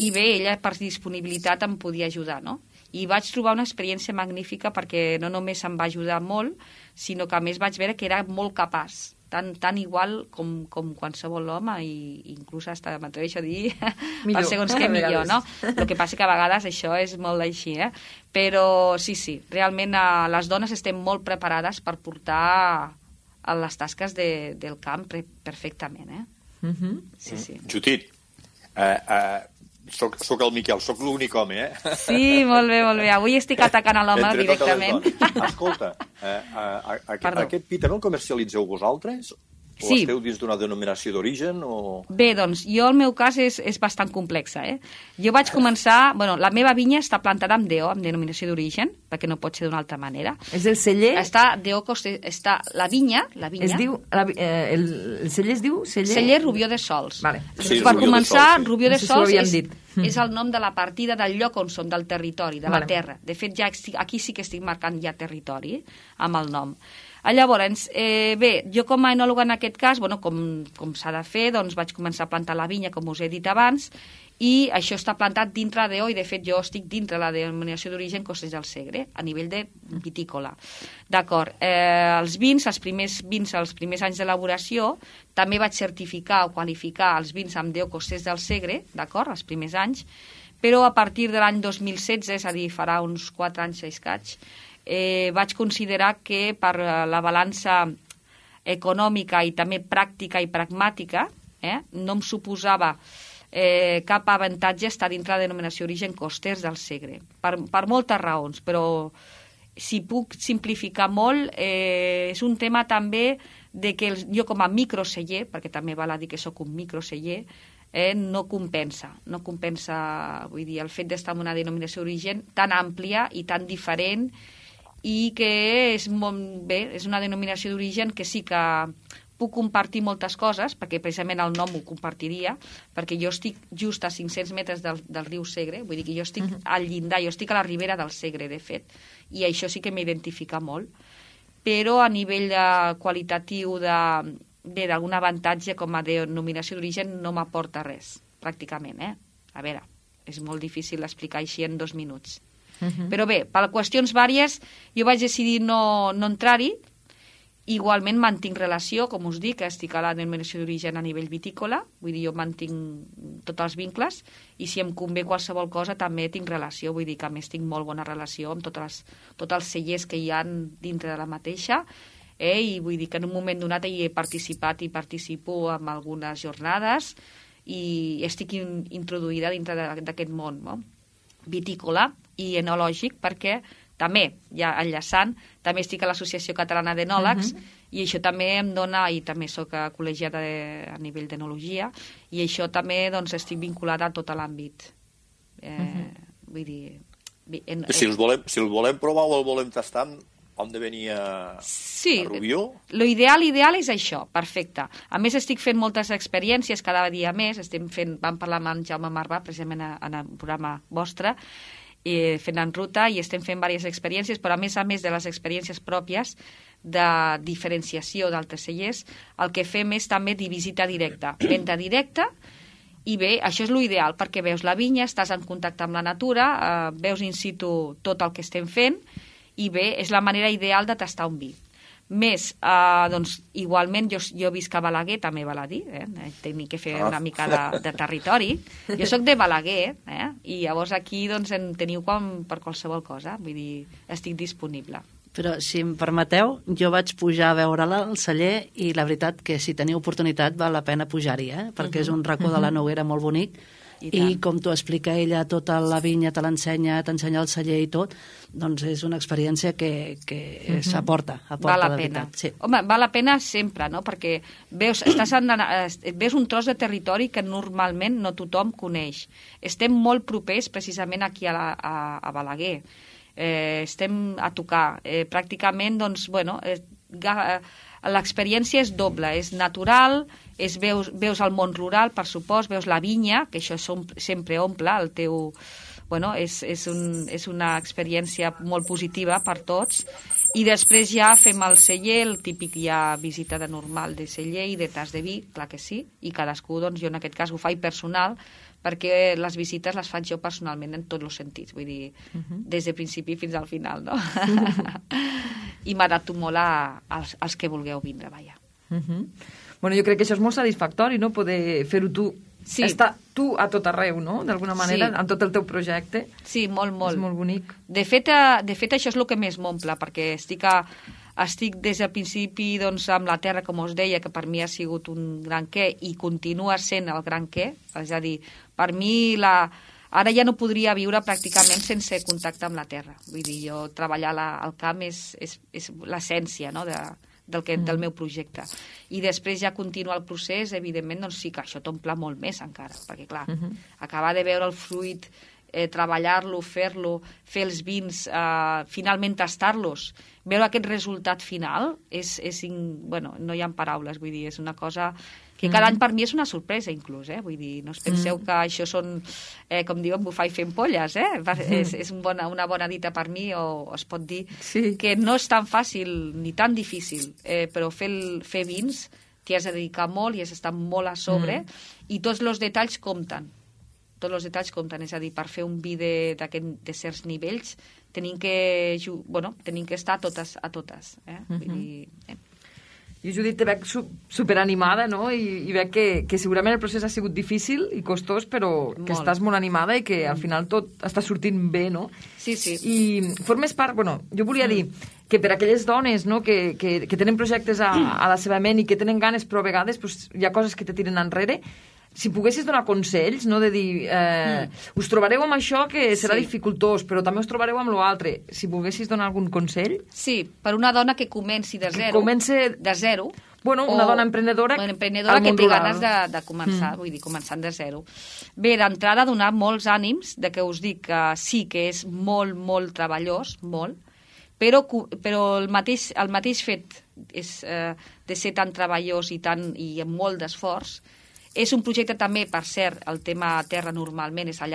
i bé, ella per disponibilitat em podia ajudar, no? I vaig trobar una experiència magnífica perquè no només em va ajudar molt, sinó que a més vaig veure que era molt capaç, tan igual com qualsevol home, i inclús m'atreveixo a dir per segons què millor, no? El que passa que a vegades això és molt així, però sí, realment les dones estem molt preparades per portar les tasques del camp perfectament, Sí. Judit, soc el Miquel, soc l'únic home, Sí, molt bé. Avui estic atacant a l'home directament. Escolta, aquest pi també el comercialitzeu vosaltres? O esteu dins d'una denominació d'origen? Bé, doncs, el meu cas és bastant complex, Jo vaig començar... la meva vinya està plantada amb DO, amb denominació d'origen, perquè no pot ser d'una altra manera. És el celler? Està DO, està la vinya... Es diu... El celler es diu? Celler Rubió de Sols. Vale. Sí, per començar, Rubió de Sols és el nom de la partida del lloc on som, del territori, de la terra. De fet, aquí sí que estic marcant ja territori, amb el nom. Llavors, bé, jo com a enòloga en aquest cas, com s'ha de fer, doncs vaig començar a plantar la vinya, com us he dit abans, i això està plantat dintre d'EO, i de fet jo estic dintre la denominació d'origen Costers del Segre, a nivell de vitícola. D'acord, els vins, els primers anys d'elaboració, també vaig certificar o qualificar els vins amb DO Costers del Segre, d'acord, els primers anys, però a partir de l'any 2016, és a dir, farà uns 4 anys, 6 caig, vaig considerar que per la balança econòmica i també pràctica i pragmàtica no em suposava cap avantatge estar dintre la denominació d'origen Costers del Segre, per moltes raons, però si puc simplificar molt, és un tema també de que jo com a microceller, perquè també val a dir que sóc un microceller, no compensa, vull dir, el fet d'estar en una denominació d'origen tan àmplia i tan diferent, i que és molt bé, és una denominació d'origen que sí que puc compartir moltes coses, perquè precisament el nom ho compartiria, perquè jo estic just a 500 metres del riu Segre, vull dir que jo estic al llindar, jo estic a la ribera del Segre, de fet, i això sí que m'identifica molt, però a nivell qualitatiu d'algun avantatge com a denominació d'origen no m'aporta res, pràcticament, A veure, és molt difícil explicar així en 2 minuts. Però bé, per qüestions vàries, jo vaig decidir no entrar-hi. Igualment mantinc relació, com us dic, estic a la denominació d'origen a nivell vitícola, vull dir, jo mantinc tots els vincles, i si em convé qualsevol cosa també tinc relació, vull dir que a més tinc molt bona relació amb tots els cellers que hi ha dintre de la mateixa, i vull dir que en un moment donat hi he participat i participo en algunes jornades i estic introduïda dintre d'aquest món, no? Vitícola i enològic, perquè també, ja enllaçant, també estic a l'Associació Catalana d'Enòlegs i això també em dona, i també soc col·legiada a nivell d'enologia, i això també doncs, estic vinculada a tot l'àmbit. Vull dir... Si el volem provar o el volem tastar, hem de venir a Rubió? L'ideal és això, perfecte. A més, estic fent moltes experiències cada dia més. Vam parlar amb en Jaume Marvà, precisament en el programa vostre, fent en ruta, i estem fent diverses experiències, però a més de les experiències pròpies de diferenciació d'altres cellers, el que fem és també visita directa, venda directa, i bé, això és l'ideal, perquè veus la vinya, estàs en contacte amb la natura, veus in situ tot el que estem fent, i bé, és la manera ideal de tastar un vi. Més, doncs, igualment, jo visc a Balaguer, també val a dir, tinc que fer una mica de territori. Jo sóc de Balaguer, i llavors aquí doncs, en teniu com per qualsevol cosa, vull dir, estic disponible. Però, si em permeteu, jo vaig pujar a veure-la al celler i la veritat que si teniu oportunitat val la pena pujar-hi, perquè és un racó de la Noguera molt bonic. I com t'ho explica ella, tota la vinya te l'ensenya, t'ensenya el celler i tot, doncs és una experiència que s'aporta, val la pena. Sí. Home, val la pena sempre, no? Perquè veus un tros de territori que normalment no tothom coneix. Estem molt propers precisament aquí a Balaguer. Estem a tocar. Pràcticament, doncs, bueno, l'experiència és doble, és natural, veus el món rural, per supost, veus la vinya, que això sempre omple el teu... Bueno, és una experiència molt positiva per tots, i després ja fem el celler, el típic ja visita de normal de celler i de tas de vi, clar que sí, i cadascú, doncs jo en aquest cas ho faig personal, perquè les visites les faig jo personalment en tots els sentits, vull dir, des de principi fins al final, no? I m'adapto molt als que vulgueu vindre, vaja. Bueno, jo crec que això és molt satisfactori, no?, poder fer-ho tu. Sí. Estar tu a tot arreu, no?, d'alguna manera, amb tot el teu projecte. Sí, molt, molt. És molt bonic. De fet, això és el que més m'omple, perquè estic des del principi doncs, amb la terra, com us deia, que per mi ha sigut un gran què, i continua sent el gran què, és a dir, per mi ara ja no podria viure pràcticament sense contacte amb la terra. Vull dir, jo treballar al camp és l'essència, no?, del meu projecte. I després ja continua el procés, evidentment, doncs sí que això t'omple molt més encara, perquè clar, acabar de veure el fruit, treballar-lo, fer-lo, fer els vins, finalment tastar-los, veure aquest resultat final, bueno, no hi ha paraules, vull dir, és una cosa que cada any per mi és una sorpresa, inclús, vull dir, no us penseu que això són, com diuen, bufar i fer ampolles, és una bona dita per mi, o es pot dir que no és tan fàcil ni tan difícil, però fer vins t'hi has de dedicar molt i has d'estar molt a sobre, i tots els detalls compten. Tots els detalls compten, és a dir, per fer un vi de certs nivells tenim que estar a totes. Vull dir... Jo, Judit, te veig superanimada, no? I veig que segurament el procés ha sigut difícil i costós, però que estàs molt animada i que al final tot està sortint bé, no? Sí, sí. I formes part... Bueno, jo volia dir que per aquelles dones, no?, que tenen projectes a la seva ment i que tenen ganes, però a vegades hi ha coses que te tiren enrere. Si poguessis donar consells, no?, de dir us trobareu amb això que serà dificultós, però també us trobareu amb l'altre. Si volguessis donar algun consell? Sí, per una dona que comenci de zero. De zero. Bueno, una dona emprenedora que té ganes de començar, vull dir, començant de zero. Bé, d'entrada, donar molts ànims, de que us dic que sí que és molt, molt treballós, molt, però el mateix fet de ser tan treballós i amb molt d'esforç És un projecte també, per cert, el tema terra normalment és a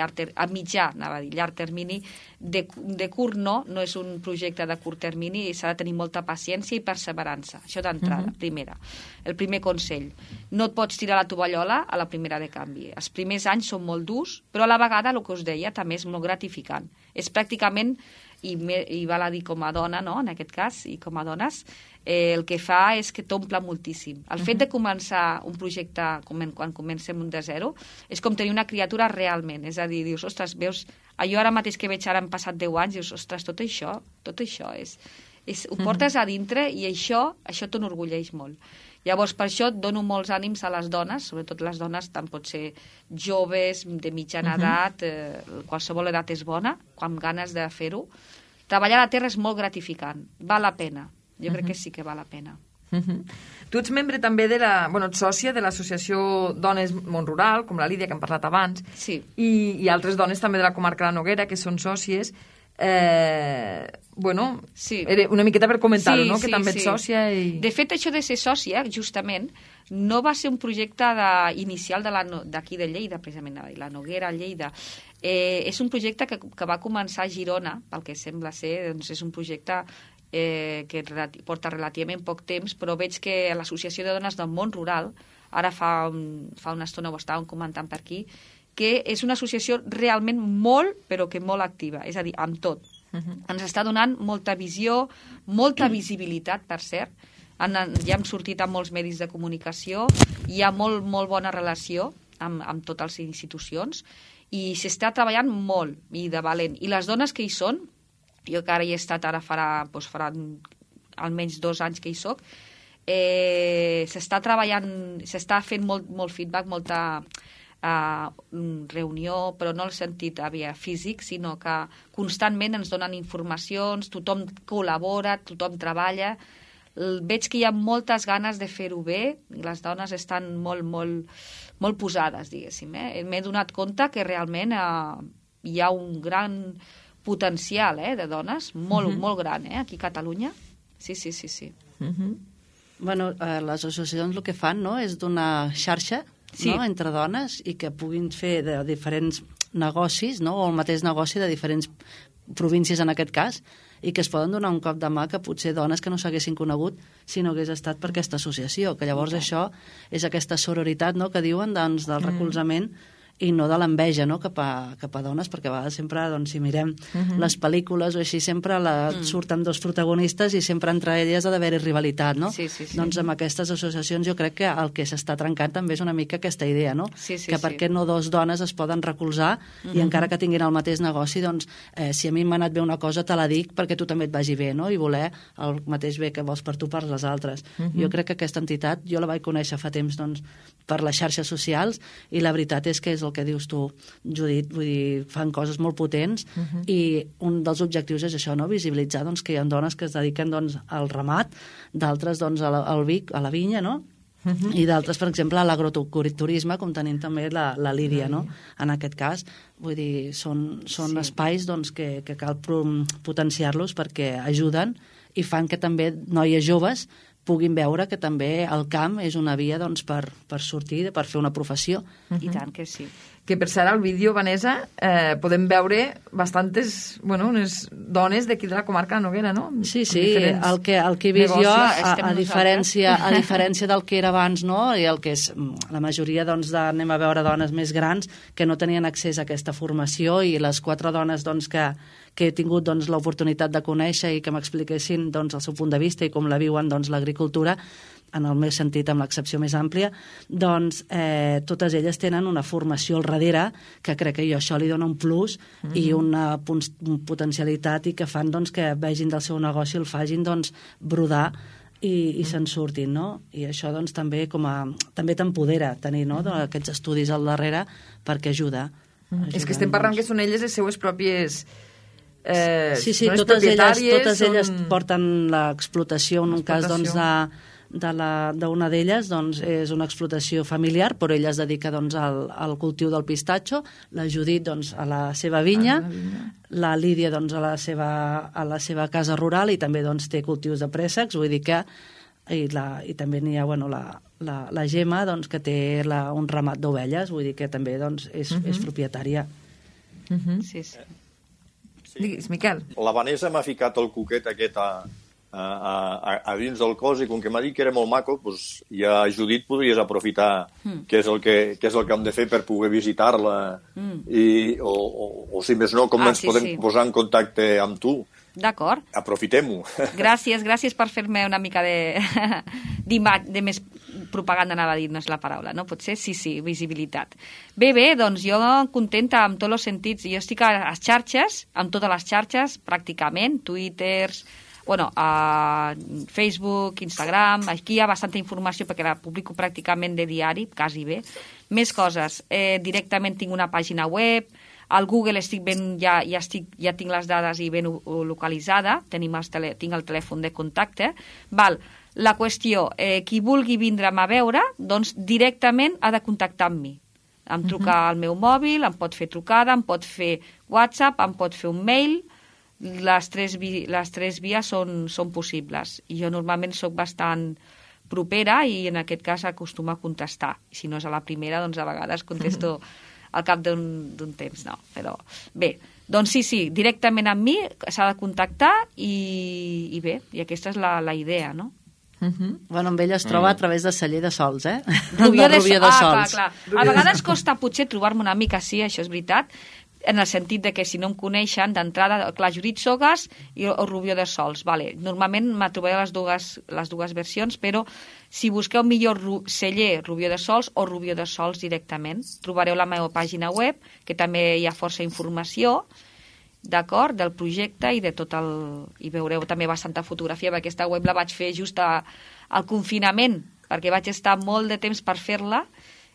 mitjà, anava a dir, llarg termini, de curt no és un projecte de curt termini i s'ha de tenir molta paciència i perseverança. Això d'entrada, primera. El primer consell. No et pots tirar la tovallola a la primera de canvi. Els primers anys són molt durs, però a la vegada, el que us deia, també és molt gratificant. És pràcticament, i val a dir com a dona, no?, en aquest cas, i com a dones, el que fa és que t'omple moltíssim. El fet de començar un projecte quan comencem de zero és com tenir una criatura realment. És a dir, dius, ostres, veus, jo ara mateix que veig ara han passat 10 anys, dius, ostres, tot això ho portes a dintre i això t'enorgulleix molt. Llavors, per això dono molts ànims a les dones, sobretot les dones, tant pot ser joves, de mitjana edat, qualsevol edat és bona, amb ganes de fer-ho. Treballar a la terra és molt gratificant, val la pena. Jo crec que sí que val la pena. Tu ets membre també ets sòcia de l'associació Dones Món Rural, com la Lídia, que hem parlat abans, sí. I altres dones també de la comarca de la Noguera, que són sòcies. Sí. Una miqueta per comentar-ho, no? Que també ets sòcia. De fet, això de ser sòcia, justament, no va ser un projecte inicial d'aquí de Lleida, precisament, la Noguera, Lleida. És un projecte que va començar a Girona, pel que sembla ser, doncs és un projecte que porta relativament poc temps, però veig que l'Associació de Dones del Món Rural, ara fa una estona ho estàvem comentant per aquí, que és una associació realment molt, però que molt activa, és a dir, amb tot. Ens està donant molta visió, molta visibilitat, per cert. Ja hem sortit a molts medis de comunicació, hi ha molt bona relació amb totes les institucions i s'està treballant molt i de valent. I les dones que hi són, jo que ara hi he estat, ara farà almenys 2 anys que hi soc, s'està treballant, s'està fent molt feedback, molta reunió, però no en el sentit físic, sinó que constantment ens donen informacions, tothom col·labora, tothom treballa. Veig que hi ha moltes ganes de fer-ho bé, les dones estan molt posades, diguéssim. M'he donat compte que realment hi ha un gran potencial de dones, molt gran, aquí a Catalunya. Sí. Bueno, les associacions el que fan, no?, és donar xarxa entre dones i que puguin fer de diferents negocis, no?, o el mateix negoci de diferents províncies en aquest cas, i que es poden donar un cop de mà que potser dones que no s'haguessin conegut si no hagués estat per aquesta associació, que llavors això és aquesta sororitat, no?, que diuen, doncs, del recolzament i no de l'enveja, no?, cap a dones, perquè a vegades sempre, doncs, si mirem les pel·lícules o així, sempre surten 2 protagonistes i sempre entre elles ha d'haver-hi rivalitat, no? Sí. Doncs amb aquestes associacions jo crec que el que s'està trencant també és una mica aquesta idea, no? Que per què no 2 dones es poden recolzar i encara que tinguin el mateix negoci, doncs, si a mi m'ha anat bé una cosa te la dic perquè tu també et vagi bé, no? I voler el mateix bé que vols per tu per les altres. Jo crec que aquesta entitat, jo la vaig conèixer fa temps, doncs, per les xarxes socials i la veritat és que és el que dius tu, Judit, vull dir, fan coses molt potents i un dels objectius és això, no?, visibilitzar, doncs, que hi ha dones que es dediquen, doncs, al ramat, d'altres, doncs, al vic, a la vinya, no?, i d'altres, per exemple, a l'agroturisme, com tenim també la Lídia, no?, en aquest cas. Vull dir, són espais, doncs, que cal potenciar-los perquè ajuden i fan que també noies joves puguin veure que també el camp és una via, doncs, per sortir, per fer una professió. I tant que sí. Que per cert, al vídeo, Vanessa, podem veure bastantes, unes dones d'aquí de la comarca de Noguera, no? Sí, el que he vist jo, a diferència del que era abans, no?, i el que és la majoria, doncs, anem a veure dones més grans que no tenien accés a aquesta formació i les 4 dones, doncs, que he tingut, doncs, l'oportunitat de conèixer i que m'expliquessin, doncs, el seu punt de vista i com la viuen, doncs, l'agricultura, en el meu sentit, amb l'accepció més àmplia, doncs totes elles tenen una formació al darrere que crec que això li dona un plus i una potencialitat i que fan, doncs, que vegin del seu negoci, el facin, doncs, brodar i se'n surtin, no? I això, doncs, també també t'empodera tenir, no?, aquests estudis al darrere perquè ajuda. És que estem parlant que són elles les seues pròpies... Sí, totes elles porten l'explotació, en un cas, doncs, d'una d'elles, doncs, és una explotació familiar, però ella es dedica, doncs, al cultiu del pistatxo, la Judit, doncs, a la seva vinya, la Lídia, doncs, a la seva casa rural i també, doncs, té cultius de préssecs, vull dir que I també n'hi ha la Gemma, doncs, que té un ramat d'ovelles, vull dir que també doncs, és propietària. Sí. Digues, Miquel. La Vanessa m'ha ficat el cuquet aquest a dins del cos i com que m'ha dit que era molt maco, doncs ja, Judit, podries aprofitar què és el que hem de fer per poder visitar-la o si més no, com ens podem posar en contacte amb tu. D'acord. Aprofitem-ho. Gràcies per fer-me una mica de més propaganda, anava a dir, no és la paraula, no? Potser sí, visibilitat. Bé, doncs jo contenta amb tots els sentits. Jo estic a les xarxes, amb totes les xarxes, pràcticament, Twitter, Facebook, Instagram. Aquí hi ha bastanta informació perquè la publico pràcticament de diari, quasi bé. Més coses. Directament tinc una pàgina web. Al Google estic ben, ja tinc les dades i ben localitzada, tinc el telèfon de contacte. La qüestió, qui vulgui vindre'm a veure, doncs directament ha de contactar amb mi. Em truca al meu mòbil, em pot fer trucada, em pot fer WhatsApp, em pot fer un mail. Les tres vies són possibles. I jo normalment sóc bastant propera i en aquest cas acostumo a contestar. I si no és a la primera, doncs a vegades contesto al cap d'un temps, no. Però bé, doncs sí, directament amb mi s'ha de contactar i bé, i aquesta és la idea, no? Bueno, amb ella es troba a través de Celler de Sols, eh? Rubió de Sols. Clar. A vegades costa potser trobar-me una mica, sí, això és veritat, en el sentit de que si no em coneixen d'entrada, clar, Judit Sogas o Rubió de Sols, vale. Normalment me trobaré les dues versions, però si busqueu millor Celler Rubió de Sols o Rubió de Sols directament, trobareu la meva pàgina web, que també hi ha força informació, d'acord, del projecte i de tot el... I veureu també bastanta fotografia, perquè aquesta web la vaig fer just al confinament, perquè vaig estar molt de temps per fer-la,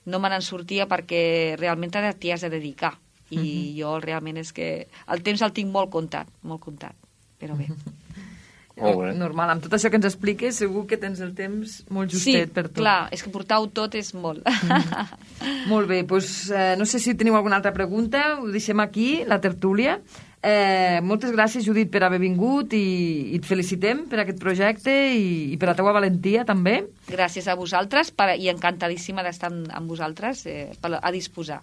no me n'en sortia perquè realment t'hi has de dedicar. I jo realment és que el temps el tinc molt comptat, però bé. Normal, amb tot això que ens expliques segur que tens el temps molt justet per tot. Sí, clar, és que portar-ho tot és molt. Molt bé, doncs no sé si teniu alguna altra pregunta, ho deixem aquí, la tertúlia. Moltes gràcies, Judit, per haver vingut i et felicitem per aquest projecte i per la teua valentia també. Gràcies a vosaltres i encantadíssima d'estar amb vosaltres a disposar.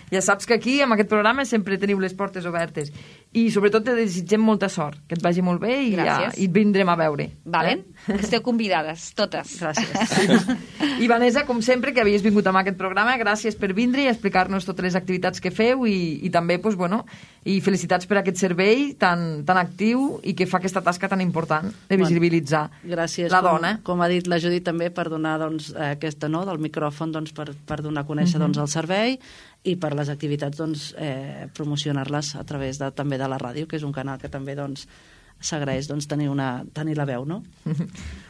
Ja saps que aquí, amb aquest programa, sempre teniu les portes obertes i sobretot te desitgem molta sort, que et vagi molt bé i et vindrem a veure. Valen? Esteu convidades, totes. Gràcies. I Vanessa, com sempre, que havies vingut amb aquest programa, gràcies per vindre i explicar-nos totes les activitats que feu i també, doncs, bueno, i felicitats per aquest servei tan actiu i que fa aquesta tasca tan important de visibilitzar la dona. Com ha dit la Judit també, per donar aquesta del micròfon per donar a conèixer el servei i per les activitats promocionar-les a través també de la ràdio, que és un canal que també s'agraeix tenir la veu, no?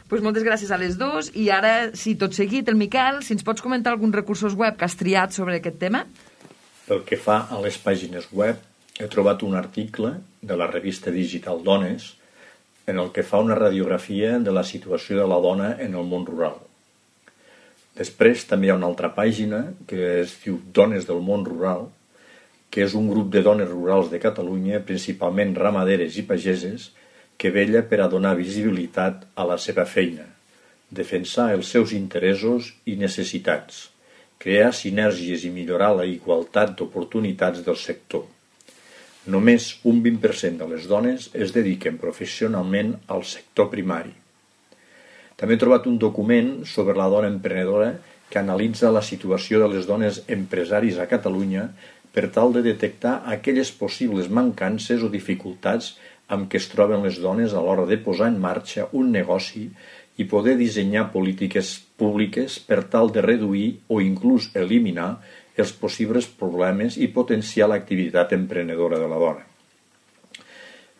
Pues moltes gràcies a les dues i ara, si tot seguit, el Miquel, si ens pots comentar alguns recursos web que has triat sobre aquest tema? Pel que fa a les pàgines web, he trobat un article de la revista digital Dones en el que fa una radiografia de la situació de la dona en el món rural. Després també hi ha una altra pàgina que es diu Dones del món rural, que és un grup de dones rurals de Catalunya, principalment ramaderes i pageses, que vetlla per a donar visibilitat a la seva feina, defensar els seus interessos i necessitats, crear sinergies i millorar la igualtat d'oportunitats del sector. Només un 20% de les dones es dediquen professionalment al sector primari. També he trobat un document sobre la dona emprenedora que analitza la situació de les dones empresaris a Catalunya per tal de detectar aquelles possibles mancances o dificultats amb què es troben les dones a l'hora de posar en marxa un negoci i poder dissenyar polítiques públiques per tal de reduir o inclús eliminar els possibles problemes i potenciar l'activitat emprenedora de la dona.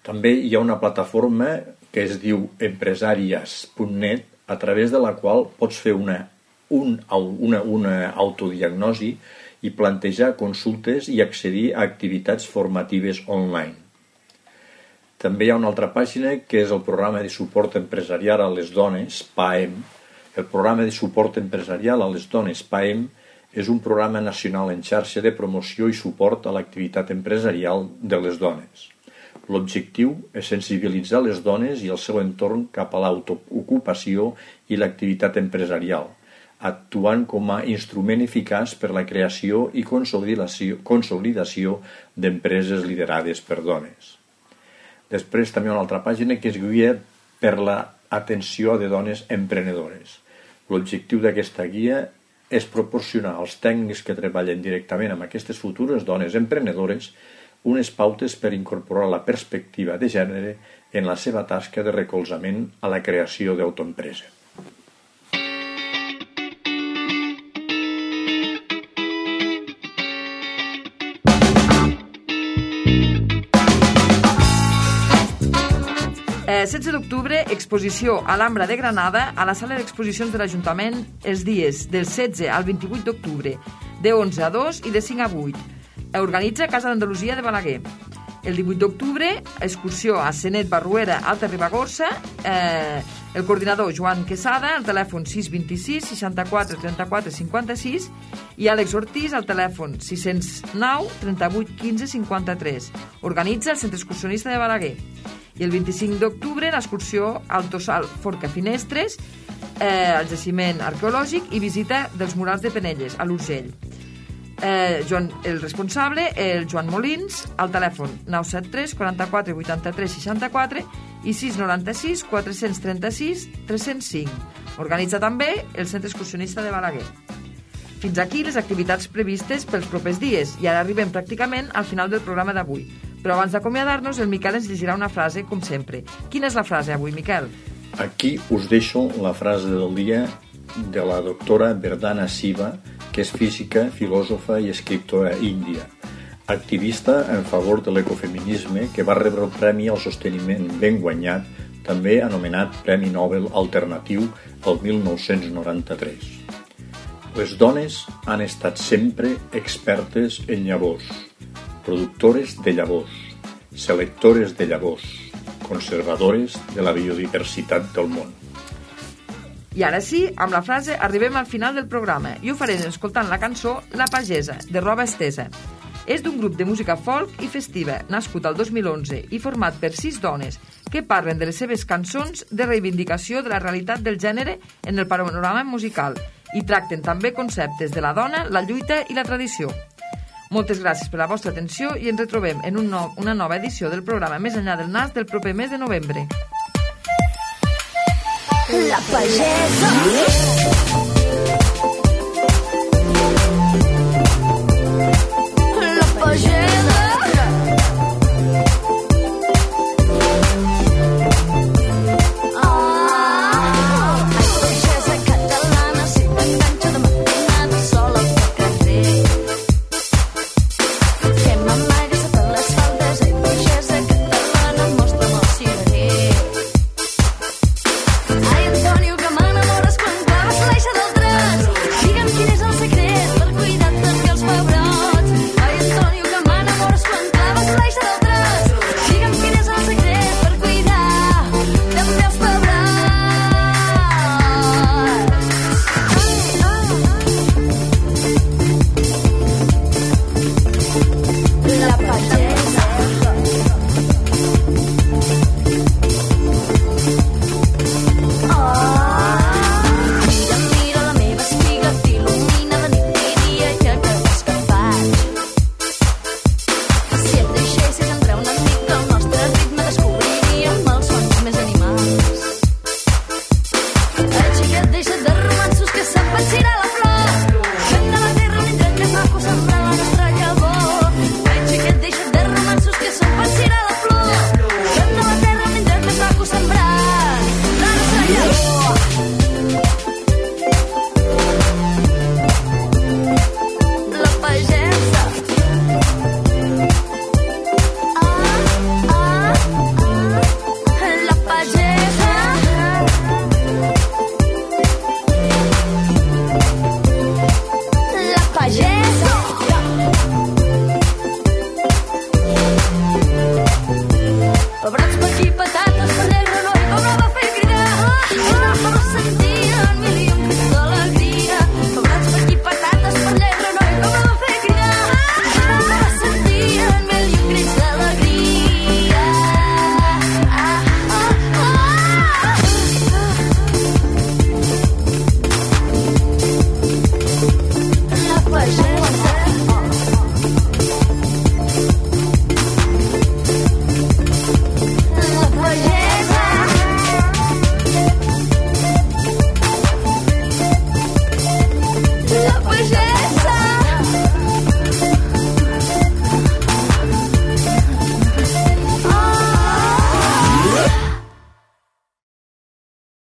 També hi ha una plataforma que es diu empresàries.net, a través de la qual pots fer una autodiagnosi i plantejar consultes i accedir a activitats formatives online. També hi ha una altra pàgina que és el programa de suport empresarial a les dones, PAEM. El programa de suport empresarial a les dones, PAEM, és un programa nacional en xarxa de promoció i suport a l'activitat empresarial de les dones. L'objectiu és sensibilitzar les dones i el seu entorn cap a l'autoocupació i l'activitat empresarial, actuant com a instrument eficaç per la creació i consolidació d'empreses liderades per dones. Després també una altra pàgina que és guia per l'atenció de dones emprenedores. L'objectiu d'aquesta guia és proporcionar als tècnics que treballen directament amb aquestes futures dones emprenedores unes pautes per incorporar la perspectiva de gènere en la seva tasca de recolzament a la creació d'autoempresa. El 16 d'octubre, exposició a l'Ambra de Granada a la sala d'exposicions de l'Ajuntament els dies del 16 al 28 d'octubre, de 11 a 2 i de 5 a 8. Organitza Casa d'Andalusia de Balaguer. El 18 d'octubre, excursió a Senet Barruera, Alta Ribagorça, el coordinador Joan Quesada, al telèfon 626 64 34 56 i Àlex Ortiz al telèfon 609 38 15 53. Organitza el Centre Excursionista de Balaguer. I el 25 d'octubre, l'excursió al Tossal Forca Finestres, al jaciment arqueològic i visita dels murals de Penelles, a l'Urgell. El responsable, el Joan Molins, al telèfon 973 44 83 64 i 696 436 305. Organitza també el Centre Excursionista de Balaguer. Fins aquí les activitats previstes pels propers dies i ara arribem pràcticament al final del programa d'avui. Però abans d'acomiadar-nos, el Miquel ens llegirà una frase, com sempre. Quina és la frase avui, Miquel? Aquí us deixo la frase del dia de la doctora Verdana Siva, que és física, filòsofa i escriptora índia, activista en favor de l'ecofeminisme, que va rebre el Premi al Sosteniment ben guanyat, també anomenat Premi Nobel Alternatiu el 1993. Les dones han estat sempre expertes en llavors, productores de llavors, selectores de llavors, conservadores de la biodiversitat del món. I ara sí, amb la frase arribem al final del programa i ho farem escoltant la cançó La Pagesa, de Roba Estesa. És d'un grup de música folk i festiva, nascut al 2011 i format per 6 dones que parlen de les seves cançons de reivindicació de la realitat del gènere en el panorama musical i tracten també conceptes de la dona, la lluita i la tradició. Moltes gràcies per la vostra atenció i ens retrobem en una nova edició del programa Més enllà del nas del proper mes de novembre. La Pagesa.